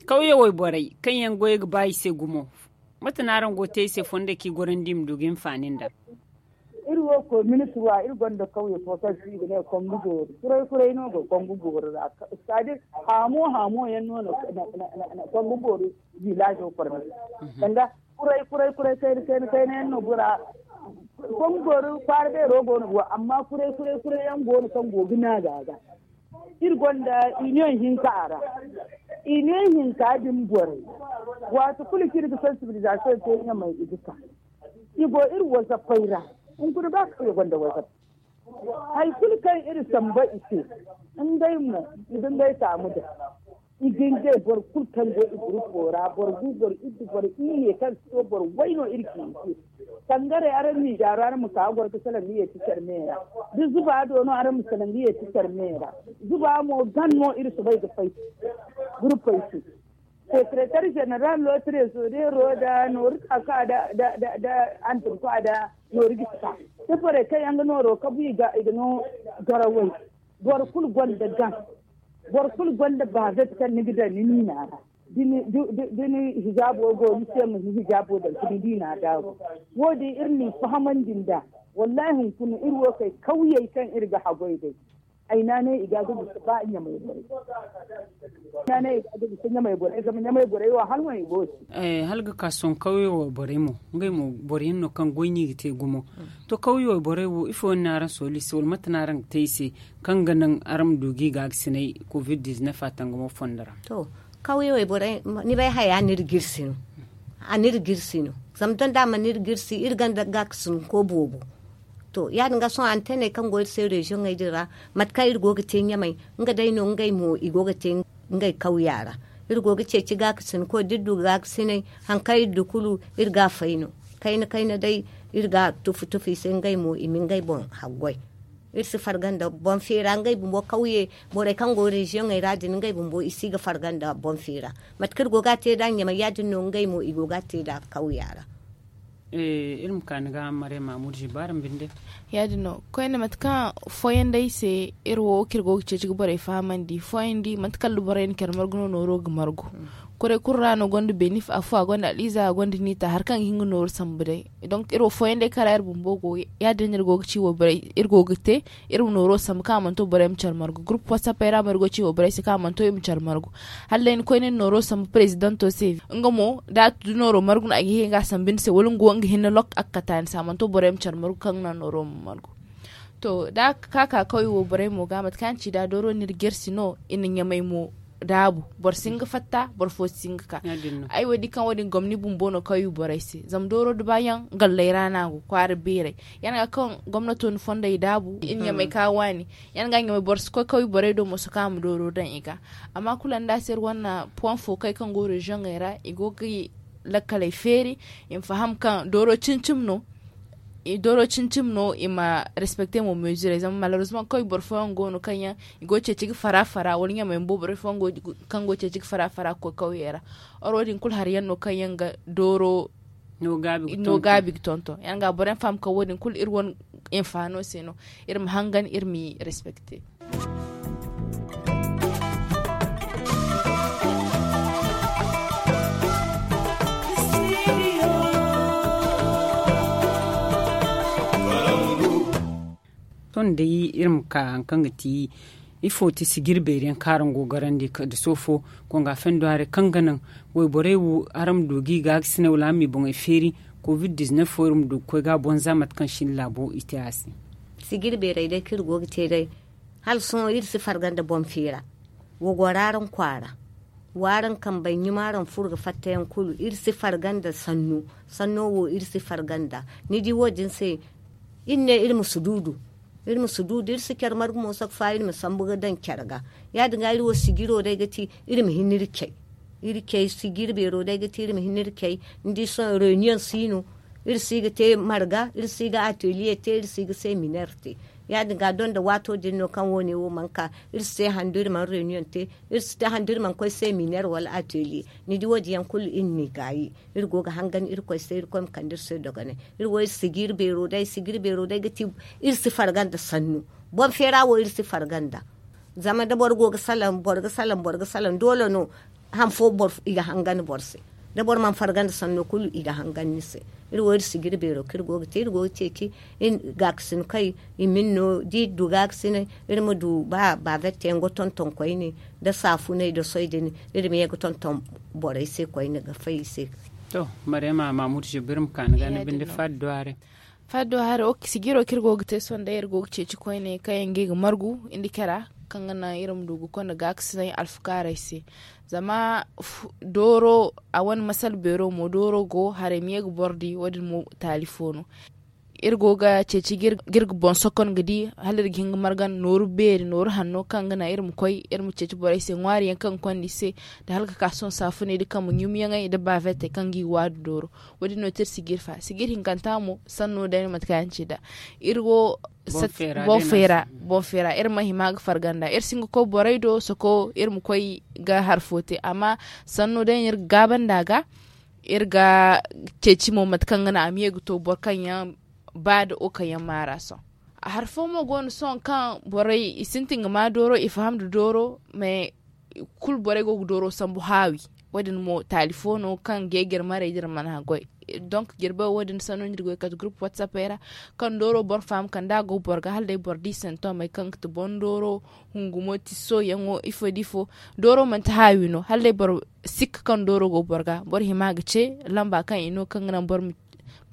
Kawye wayborey kaŋ yaŋ goyey ga ba i se gumo, mate no araŋ go ga te i se fondo kaŋ i gorandi i ma du ga hinfaani nd'a? Iri wo koy ministir wa iri gonda kawye fo kaŋ se i ga ne kongu boori kuray kuray no go kongu boori ra. Sitaadir, haamo haamo yaŋ no na kongu boori, vilaazo korme sanda kuray kuray kuray kayna kayna kayna yaŋ no bora. Kongu boori kwaara beero go no go amma kuray kuray kuray yaŋ go no kaŋ go ga naaga ga. Iri gonda iniyoŋ hinka a ra. Iniyoŋ hinka din borey, waati kulu kaŋ iri ga sansibilizasiyoŋ te ɲamay i ga ka. I go iri wazappey ra. Hunkuna ba kaŋ i gonda wazappey, hari kulu kaŋ iri samba i se, ngey mo i ga ngey taamu daŋ. I ga ngey boro kulu kaŋ go i gurupo ra boro gu boro iddu boro iyye kaŋ si to boro way no iri ga i se. Tangarey araŋ ma i daaru araŋ ma ka ga goro ga salaŋ ga yeeti care me ra. Da zuba do no araŋ ma salaŋ ga yeeti care me ra. Zuba mo gan no iri soobay ga fay. Gurupey se, sekeretar jeneral no trezoreero nda nooru ka ka nda anturka nda nooru ga si ka. Da borey kaŋ yaŋ ga nooro kabu i ga no garawey. Boro kulu gonda gan. Boro kulu gonda baazat kaŋ ni ga daŋ ni niina ra. Da ni hijaabo go ni se ma ni hijaabo daŋ ka ni diina daabu. Wo- din iri n'i fahamandi nd'a. Wallaahi hunkuna iri wo kay kawyey kaŋ iri ga haggoy day. Ay naanay i ga ga bisa ba ɲamay borey. Naanay i ga ga bisa ɲamay borey zama ɲamay borey wo hala wane i go se. Hala ga ka sohõ kawyo wo borey mo, ngey mo boro yaŋ no kaŋ goy no i ga te gumo. To kawyo wo borey wo ifo yaŋ no araŋ sooli i se wala mate no araŋ ga te i se? Kaŋ ga naŋ araŋ ma du ga i gaagasinay covid diznef a tangamo fondo ra. To, kawyo wo borey, ni bay haya a n'iri girsi no. Zama donda a mana iri girsi iri gonda gaakasinko boobo. To ya- din ga sohõ anteney kaŋ go iri se reziyoŋey din ra, mate kaŋ iri go ga te ɲamay, nga day no ngey mo i go ga te ngey kawya ra. Iri go ga ceeci gaakasinko da iri du gaakasinay, hari kaŋ iri du kulu, iri ga a fay no. Kayna kayna day, iri ga a tufu tufu i se ngey mo i ma ngey boŋ haggoy. Iri si farga nda boŋ feera ngey bumbo kawye. Borey kaŋ go reziyoŋey ra din ngey bumbo i si ga farga nda boŋ feera. Mate kaŋ iri go ga a te nd'a ɲamay ya- din no ngey mo i go ga a te nd'a kawya ra. Iri ma ka ni ga maray mamudu zibaara ma binde. Ya- din no koyne mate kaŋ fooyaŋ day se, iri wo kaŋ iri go ga ceeci ga borey fahamandi fooyaŋ di mate kaŋ borey na care margu no nooro ga margu. Kuray kulu ra no gonda benif afo a gonda al'iza a gonda niita hari kaŋ ga hin ga nooru sambu day. Donk iri wo fooyaŋ day kaŋ ra iri bumbo go, ya- din no iri go ga ci wayborey iri go ga te. Iri ma nooro sambu kaŋ a mana to borey ma care margu gurup watsapey ra mo iri go ga ci wayborey se kaŋ a mana to i ma care margu. Hala day ni koy ni na nooro sambu perezidanto se, nga mo da a tun da nooro margu no a ga hin ga a sambu ni se wala nga wo nga hinne lok a ga kate a ni se a mana to borey ma care margu kaŋ ga naŋ nooro ma margu. To da a ka ka kawye wo borey mo ga mate kaŋ a ci da dooro no iri gersi no i na ɲamay mo daabu. Boro si hin ga fatta boro fo si hin ga ka. Ay wo- din kaŋ wo- din gomni bumbo no kawye borey se zama dooro da ba yaŋ galley ra no a go kwaara beerey. Ya- din ga kaŋ gomnato na fondey daabu i na ɲamay ka waani. Ya- din ga ɲamay boro si koy kawye borey do mo si ka a ma dooro daŋ i ga. Amma kulu nda a se iri wane puwaŋ fo kay kaŋ go reziyoŋey ra i go ga lakkaley feeri. I ma faham kaŋ dooro cimi cimi no. Dooro cimi cimi no i ma respekte mo mezirey zama malarozman kawye boro fooyaŋ go no kaŋ yaŋ i go ga ceeci ga fara fara wala ɲamay bumbo borey fooyaŋ go kaŋ go ga ceeci ga fara fara ga koy kawyey ra. Oro wo- din kulu hari yaŋ no kaŋ yaŋ ga dooro no gaabi ga tonton. Ya- din ga boro yaŋ faham kaŋ wo- din kulu iri wane infaano se no. Iri ma hangan iri m'i respekte. Sohõ day iri ma ka hari kaŋ ga ti ifo ti sijiri beeri yaŋ kaŋ araŋ go ga garandi nda sohõ fo, konga fendo haray kaŋ ga naŋ wayborey wo araŋ ma du ga i gaakasinay wala araŋ ma i boŋey feeri. Covid diznef wo iri ma du ga koy ga a boŋ za mate kaŋ sinda laabo i te a se. Sijiri beerey day kaŋ iri go ga te day, hala sohõ iri si farga nda boŋ feera. Wa goro araŋ kwaara, wa araŋ kambey ɲuma araŋ furo ga fatta yaŋ kulu iri si farga nda sanno. Sanno wo iri si farga nda. Ni di wo- din se, iri ne iri ma sududu. Iri ma sududu iri si care margu mo sokfa iri ma sambu ga daŋ care ga. Ya- din ga iri wo sijiro day ga ti iri ma hin iri cay. Iri cay sijiri beero day ga ti iri ma hin iri cay. Ni di sohõ reyniyoŋ si no. Iri si ga te marga, iri si ga ateliye te, iri si ga seminer te. Ya- din ga doŋ da waato din no kaŋ wo- ne wo mana ka, iri si te handu iri mana reyniyoŋ te. Iri si te handu iri mana koy seminer wala ateliye. Ni di wo- din yaŋ kulu iri n'i gaayi. Iri go ga hangan irkoy se irkoy ma kande iri se dogonay. Iri wo iri sijiri beero day sijiri beero day ga ti iri si farga nda sannu. Boŋ feera wo iri si farga nda. Zama da boro go ga salaŋ boro ga salaŋ boro ga salaŋ doole no. Han fo i ga hangan boro se. Da boro mana farga nda sanno kulu i ga hangan ni se. Iri wo iri sijiri beero kaŋ iri go ga te iri go ga ceeci. Gaakasin kay i ma ni no da iri du gaakasinay, iri ma du ba baavette yaŋ ga tonton koyne, nda saafunay nda soy din. Iri ma ye ga tonton borey se koyne ga fay i se. To, maryama mamudu zubir ma ka ni ga ni binde faddo haray. Faddo haray wo sijiro kaŋ iri go ga te sohõ day iri go ga ceeci koyne kaŋ yaŋ ga i ga margu nda care kaŋ ga naŋ iri ma du ga konda gaakasinay alfakaarey se. Zama dooro a wane masala beero mo dooro go haray ma ye ga boro di wo- din mo taali fo no. Iri go ga ceeci ga iri ga boŋ sokon ga di hala iri ga hin ga margan nooru beeri nooru hanno kaŋ ga naŋ iri ma koy iri ma ceeci borey se ŋwaari yaŋ kaŋ ga konda i se. Nda hala ga ka sohõ saafuney nda kambe ɲumyaŋey nda baavette kaŋ ga i waadu dooro. Wo- din no ti iri sijiri fa sijiri hinkanta mo sanno day no mate kaŋ yaŋ ci nd'a. Iri wo boŋ feera boŋ feera iri ma hima ga farga nd'a iri si hin ga koy borey do soko iri ma koy ga hari fo te amma sanno day no iri ga gaaba nd'a ga. Iri ga ceeci mo mate kaŋ ga naŋ a ma ye ga to boro kaŋ yaŋ ba nda wo kaŋ yaŋ maara sohõ. Hari fo mo go no sohõ kaŋ borey i sintin ga ma dooro i faham nda dooro mais kulu borey go ga dooro sambu haawi. Wo- din mo taali fo no kaŋ ga ay jirmarey da iri mana goy. Donk jirbo wo- din sanno no iri go ga kate gurup watsapey ra kaŋ dooro boro faham kala da a go boro ga hala day boro di santomey kaŋ ga ti boŋ dooro hungumo tiso yaŋo ifo da ifo. Dooro manti haawi no hala day boro sikka kaŋ dooro go boro ga boro hima ga ce lamba kaŋ i no kaŋ ga naŋ boro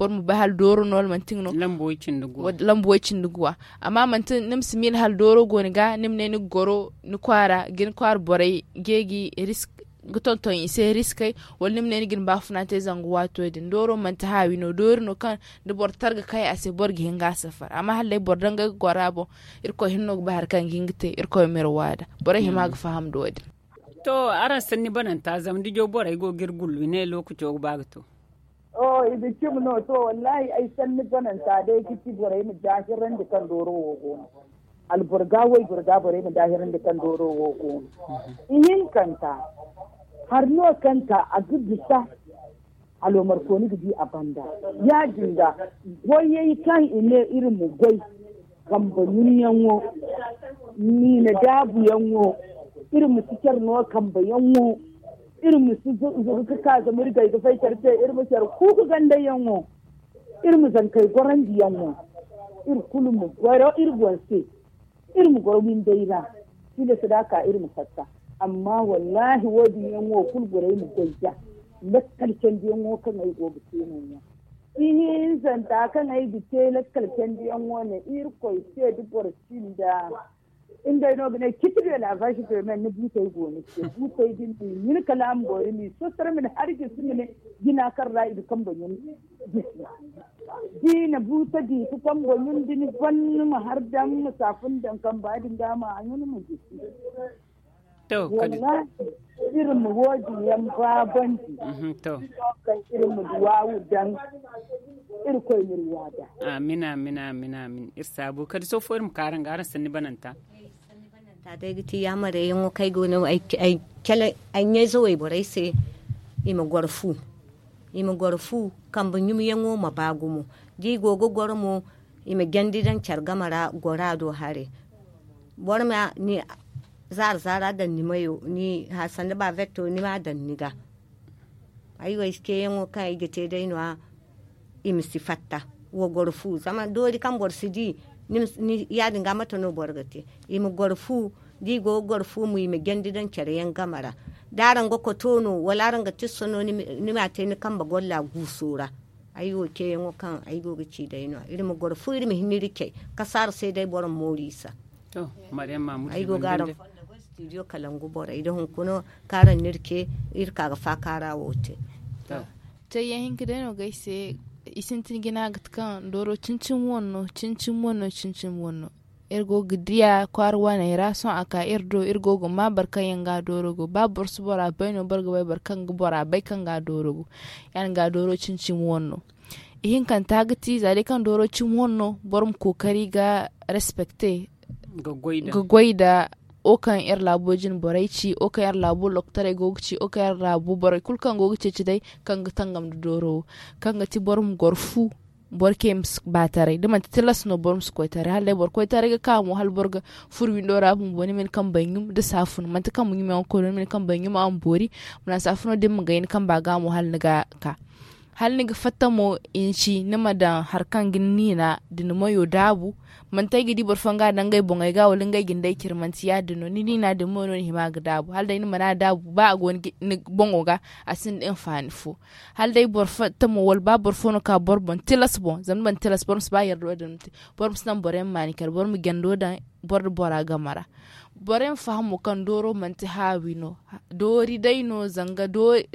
ma bay hala dooro no wala manti nga no. Lambu way cindi guwa amma manti ni ma si miila hala dooro go ni ga ni ma ne ni ga goro ni kwaara ga ni kwaara borey geegi risk ga tonton i se riskey wala ni ma ne ni ga ni baafuna te zanga waato din dooro manti haawi no doori no kaŋ da boro targa kay a se boro ga hin ga a safar amma hala day boro dangay ga goro a boŋ. Irkoy hinne no ga bay hari kaŋ ga hin ga te irkoy ma iri waada borey hima ga faham nda wo- din. To, araŋ sanni bananta zama dijo borey go ga iri gullu i ne lookaco ga ba ga to. Oh i ga cimi no to wallahi ay sanni bananta day ga ti borey ma daahirandi kaŋ dooro wo go no. Alboro ga wayboro ga borey ma daahirandi kaŋ dooro wo go no. Ihinkanta hari no kaŋ ka a ga bisa. Alomarkooni ga di a banda ya- din ga goyey kaŋ i ne iri ma goy kambe ɲumyaŋo, niina daabuyaŋo, iri ma si care no kambeyaŋo. Iri ma si zuru ga ka zama iri gay ga fay care se iri ma care kuuku gandayaŋo. Iri ma zankey gorandiyaŋo. Iri kulu ma goro iri boŋ se. Iri ma goro windey ra. Tilas da a ka iri ma fatta. Amma wallahi wo- din yaŋ wo kulu borey ma goy da lakkal candiyaŋo kaŋ ay go ga te no- ya. Ihinzanta kaŋ ay ga te lakkal candiyaŋo ne irkoy se da boro sinda. Ngey no ga ne citi de la vache de men ni buutey go ni se buutey din ma i ɲin kala a ma boori ma i sosoro ma ni hari gisi ma ne jina kaŋ ra i ga kambe ɲun. Gisi da i na buuta di ka kambe ɲun da ni ban ni ma hari daŋ ma saafun daŋ kamba din ga ma a ɲun ma gisi. To kadi wallahi iri ma wo- din yaŋ baabandi. To kaŋ iri ma duwaawu daŋ. Iri koy ma iri waada. Amin amin amin amin iri saabu kadi sohõ fo iri ma ka araŋ ga araŋ sanni bananta. Sanni bananta day ga ti yaamarey yaŋo kaŋ ay go no ay cale ay ɲayze wayborey se. I ma goro fu i ma goro fu kambe ɲumyaŋo ma ba gumo. Da i go ga goro mo i ma jandi daŋ care game ra gora do haray. Boro ma ni zaara zaara daŋ ni mayo ni hari sanda bavetto ni ma a daŋ ni ga. Ay wo ay si ceeyaŋo kaŋ ay ga te day no- ya. I ma si fatta wa goro fu zama doori kaŋ boro si di. Ya- din ga mate no boro ga te. I ma goro fu da i go ga goro fu mo i ma jandi daŋ care yaŋ game ra. Da araŋ ga koto no wala araŋ ga tisso no ni ma a te ni kambe golla guuso ra. Ay wo ceeyaŋo kaŋ ay go ga ci day no iri ma goro fu iri ma hin iri cay. Kasaara se day boro ma mooru i sa. Ay go ga araŋ fondo goy studio kalangu borey da hunkuna kaŋ araŋ na iri ce iri ka ga faakaara wo te. Cayyaŋ hinka day no ga ay se. I sintin jina ga ti kaŋ dooro cincin wane no cincin wane no cincin wane no. Iri go ga diya kwaara waaney ra sohõ a ka iri do iri go ga ma boro kaŋ yaŋ ga dooro go ba boro si bora bay no boro ga bay boro kaŋ ga bora bay kaŋ ga dooro go. Ya- din ga dooro cincin wane no. Ihinkanta ga ti za day kaŋ dooro cimi wane no boro ma kookari ga respecte ga goy nda wo kaŋ iri laabo jine borey ci wo kaŋ iri laabo lokotaray go ga ci wo kaŋ iri laabo borey kulu kaŋ go ga ceeci day kaŋ ga tangam nda dooro wo kaŋ ga ti boro ma goro fu. Boro kaŋ yaŋ ma si ba taray da manti tilas no boro ma si koy taray hala day boro koy taray ga ka mo hala boro ga furo windo ra bumbo ni ma ni kambe ɲum da saafun manti kambe ɲum yaŋ ga koy no ni ma ni kambe ɲum a ma boori. Ma naŋ saafuno da ni ma gay ni kamba ga mo hala ni ga ka. Hala ni ga fatta mo i na ci ni ma daŋ hari kaŋ ga ni niina da ni mayo daabu. Manti ay ga di boro fooyaŋ ga a daŋ ngey boŋey ga wala ngey ga ni day care manti ya- din no ni niina din mo no ni hima ga daabu hala day ni mana daabu ba a go ni boŋo ga. A sinda hinfaani fo. Hala day boro fatta mo wala ba boro fo no ka boro boŋ tilas boŋ zama ni mana tilas boro ma si ba yardo din ma te. Boro ma si naŋ boro yaŋ maani care boro ma jando daŋ boro nda bora game ra. Borey ma faham mo kaŋ dooro manti haawi no. Doori day no zanga doori.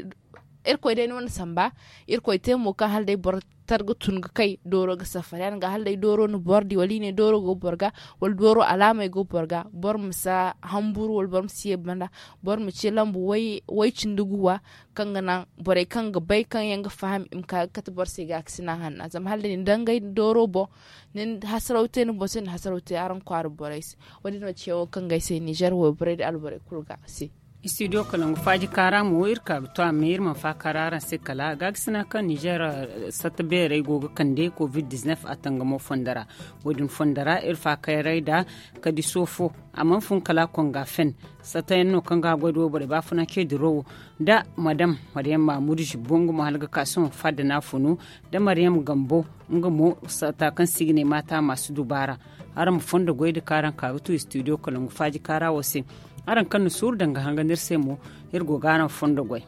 Irkoy day no na samba. Irkoy te mo kaŋ hala day boro tar ga tun ga kay dooro ga safar ya- din ga hala day dooro na boro di wala i ne dooro go boro ga wala dooro alaamey go boro ga boro ma si hamburu wala boro ma si ye banda. Boro ma ce lambu way cindi guwa kaŋ ga naŋ borey kaŋ ga bay kaŋ yaŋ ga faham i ma ka ga kate boro se gaakasina hanna zama hala day ni dangay dooro boŋ. Ni hasaraw te ni boŋ se ni hasaraw te araŋ kwaara borey se. Wo- din no ceeyaŋo kaŋ ga ay se nizer wayborey nda alborey kulu ga se. Studio kalangu faaji kaara mo iri ka ga to a me iri mana faakaara araŋ se kala gaakasina kaŋ nizer satta beerey go ga kande covid-19 a tangamo fondo ra. Wo- din fondo ra iri faakaaray nda kadi soofo a mana fun kala konga fen. Satta yaŋ no kaŋ ga goy da wayborey baafuna ce dirawo nda madam mariyam maamudu zibbo nga mo hala ga ka sohõ fadda no a funu. Nda mariyam gambo nga mo satta kaŋ se i ga ne maata maasi dubaara. Araŋ ma fondo goy nda kaŋ araŋ ka ga tu studio kalangu faaji kaara wo se. Araŋ kaŋ na suuru daŋ ga hangan iri se mo iri go ga araŋ fondo goy.